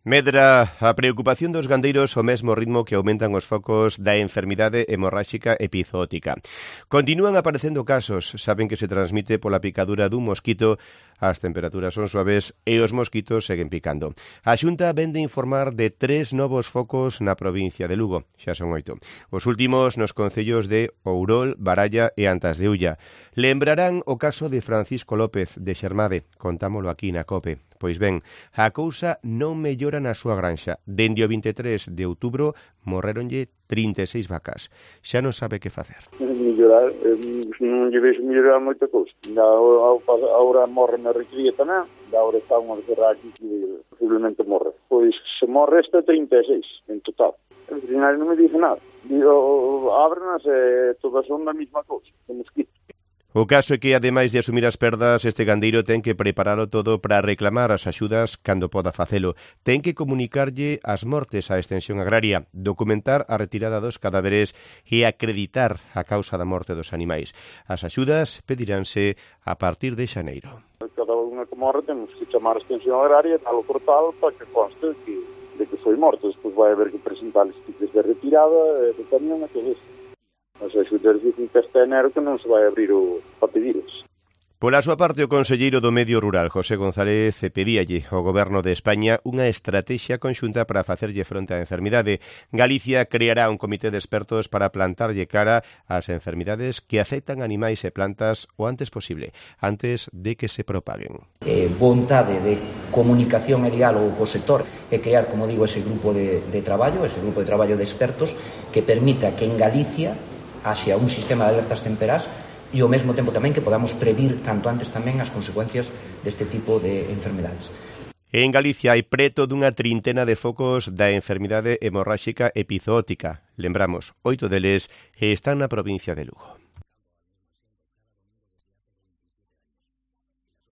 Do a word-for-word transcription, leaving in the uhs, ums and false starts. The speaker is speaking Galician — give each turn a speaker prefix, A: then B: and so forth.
A: Medra a preocupación dos gandeiros ao mesmo ritmo que aumentan os focos da enfermidade hemorráxica epizootica. Continúan aparecendo casos, saben que se transmite pola picadura dun mosquito, as temperaturas son suaves e os mosquitos seguen picando. A Xunta vén de informar de tres novos focos na provincia de Lugo, xa son oito. Os últimos nos concellos de Ourol, Baralla e Antas de Ulla. Lembrarán o caso de Francisco López de Xermade, contámolo aquí na COPE. Pois ben, a cousa non mellora na súa granxa. Dende o vinte e tres de outubro morreronlle trinta e seis vacas. Xa non sabe que facer.
B: Mellorar, non lle vexo mellorar moita cousa. Agora morre na recría tamén, agora está unha guerra aquí que posiblemente morre. Pois se morre esta trinta e seis en total. O veterinario non me dice nada. Digo, ábrenas e todas son da mesma cousa, de mosquito.
A: O caso é que, ademais de asumir as perdas, este gandeiro ten que preparalo todo para reclamar as axudas cando poda facelo. Ten que comunicarlle as mortes á extensión agraria, documentar a retirada dos cadáveres e acreditar a causa da morte dos animais. As axudas pediránse a partir de xaneiro.
B: Cada unha que morre temos que chamar a extensión agraria e tal o portal para que conste que, de que foi morto. Despois vai haber que presentar os tickets de retirada, de camión e todo isto. As axudas dicen que hasta enero que non se vai abrir o para pediros.
A: Pola súa parte, o conselleiro do Medio Rural, José González, pedíalle ao Goberno de España unha estrategia conxunta para facerlle fronte á enfermidade. Galicia creará un comité de expertos para plantarlle cara ás enfermidades que afectan animais e plantas o antes posible, antes de que se propaguen.
C: Eh, vontade de comunicación e diálogo co sector e crear, como digo, ese grupo de, de traballo, ese grupo de traballo de expertos que permita que en Galicia haxa un sistema de alertas temperás e ao mesmo tempo tamén que podamos previr canto antes tamén as consecuencias deste tipo de enfermedades.
A: En Galicia hai preto dunha trintena de focos da enfermidade hemorráxica epizootica. Lembramos, oito deles están na provincia de Lugo.